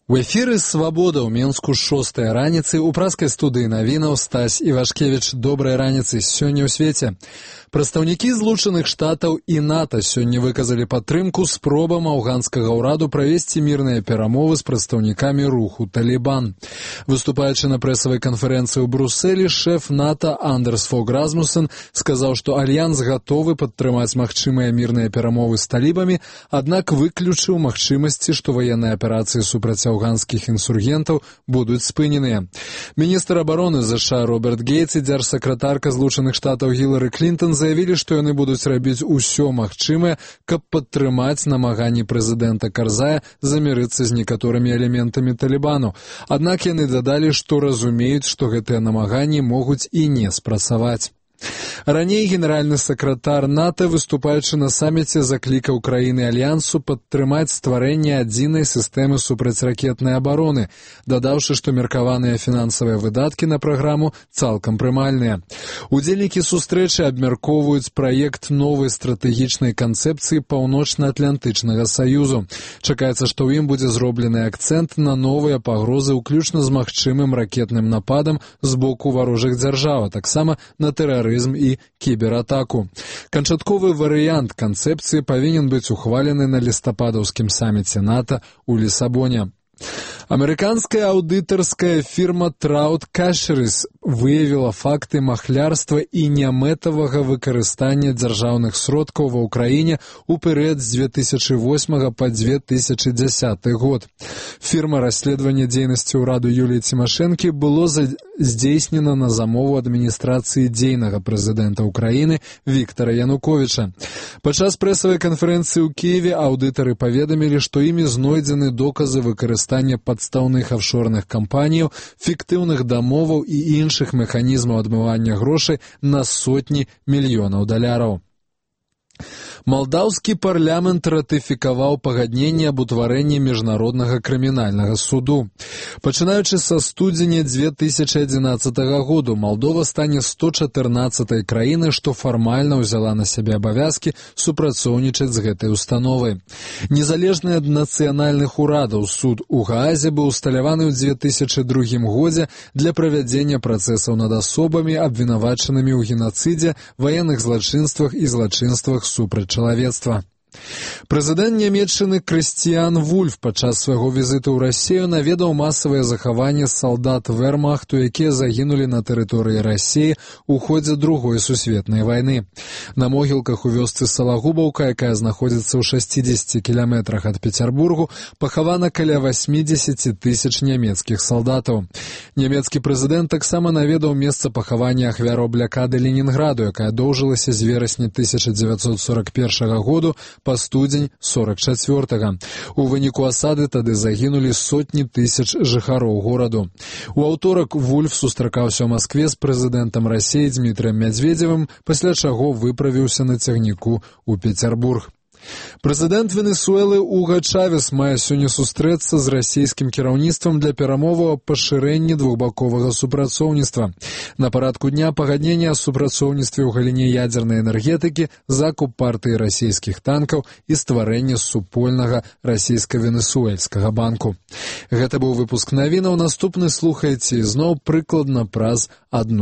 У эфіры «Свабода» ў Менску 6-я раніцы у праскай студыі навінаў Стась Івашкевіч. Добрай раніцы. Сёння ў свеце. Прадстаўнікі Злучаных Штатаў і НАТО сёння выказалі падтрымку спробам афганскага ўраду правесці мірныя перамовы з прадстаўнікамі руху «Талібан». Выступаючы на прэсавай канферэнцыі ў Брусэлі, шэф НАТО Андерс Фог Расмуссен сказаў, што альянс гатовы падтрымаць магчымыя мірныя перамовы з талібамі, аднак выключыў магчымасці, што ваенныя аперацыі супраць афганскіх інсургентаў будуць спыненыя. Міністр абароны США Роберт Гейтс і дзяржсакратарка Злучаных Штатаў Гілары Клінтон заявілі, што яны будуць рабіць усё магчымае, каб падтрымаць намаганні прэзідэнта Карзая замірыцца з некаторымі элементамі Талібану. Аднак яны дадалі, што разумеюць, што гэтыя намаганні могуць і не спрацаваць. Раней генеральны сакратар НАТО, выступаючы на саміце, заклікаў краіны альянсу падтрымаць стварэнне адзінай сістэмы супрацьракетнай абароны, дадаўшы, што меркаваныя фінансавыя выдаткі на праграму цалкам прымальныя. Удзельнікі сустрэчы абмяркоўваюць праект новай стратэгічнай канцэпцыі Паўночна-Атлантычнага саюзу. Чакаецца, што ў ім будзе зроблены акцэнт на новыя пагрозы, уключна з магчымым ракетным нападам з боку варожых дзяржаў, а таксама на тэрарызм і кібератаку. Канчатковы варыянт канцэпцыі павінен быць ухвалены на лістападаўскім саміце НАТО ў Лісабоне. Амерыканская аўдытарская фірма Trout Fisheries выявіла факты махлярства і нямэтавага выкарыстання дзяржаўных сродкаў ва ўкраіне ў перыяд з 2008 па 2010 год. Фірма расследавання дзейнасці ўраду Юліі Цімашэнкі было здзейснена на замову адміністрацыі дзейнага прэзідэнта ўкраіны Віктара Януковіча. Падчас прэсавай канферэнцыі ў Кіеве аўдытары паведамілі, што імі знойдзены доказы выкарыстання падстаўных афшорных кампаніяў, фіктыўных дамоваў і іншых механізмаў адмывання грошай на сотні мільёнаў даляраў. Малдаўскі парламент ратыфікаваў пагадненне аб утварэнні міжнароднага крымінальнага суду. Пачынаючы са студзеня 2011 году, Малдова стане 114-й краінай, што фармальна ўзяла на сябе абавязкі супрацоўнічаць з гэтай установай. Незалежны ад нацыянальных урадаў суд у Гаазе быў усталяваны ў 2002 годзе для правядзення працэсаў над асобамі, абвінавачанымі ў генацыдзе, ваенных злачынствах і злачынствах супраць чалавецтва. Прэзідэнт Нямецчыны Крыстіян Вульф падчас свайго візіту ў Расію наведаў масавае захаванне салдат вермахту, якія загінулі на тэрыторыі Расіі ў ходзе Другой сусветнай вайны. На могілках у вёсцы Салагубаўка, якая знаходзіцца ў 60 кіламетрах ад Пецярбургу, пахавана каля 80 тысяч нямецкіх салдатаў. Нямецкі прэзідэнт таксама наведаў месца пахавання ахвяраў блякады Ленінграду, якая доўжылася з верасня 1941 году па студзень 44-га. У выніку асады тады загінулі сотні тысяч жыхароў гораду. У аўторак Вульф сустракаўся ў Маскве з прэзідэнтам Расіі Дмітрыем Мядзведзевым, пасля чаго выправіўся на цягніку ў Пецярбург. Прэзідэнт Венесуэлы Уга Чавес мае сёння сустрэцца з расійскім кіраўніцтвам для перамоваў аб пашырэнні двухбаковага супрацоўніцтва. На парадку дня пагадненне о супрацоўніцтве ў галіне ядзернай энергетыкі, закуп партыі расійскіх танкаў і стварэнне супольнага расійска-венесуэльскага банку. Гэта быў выпуск навінаў. Наступны слухайце ізноў прыкладна праз 1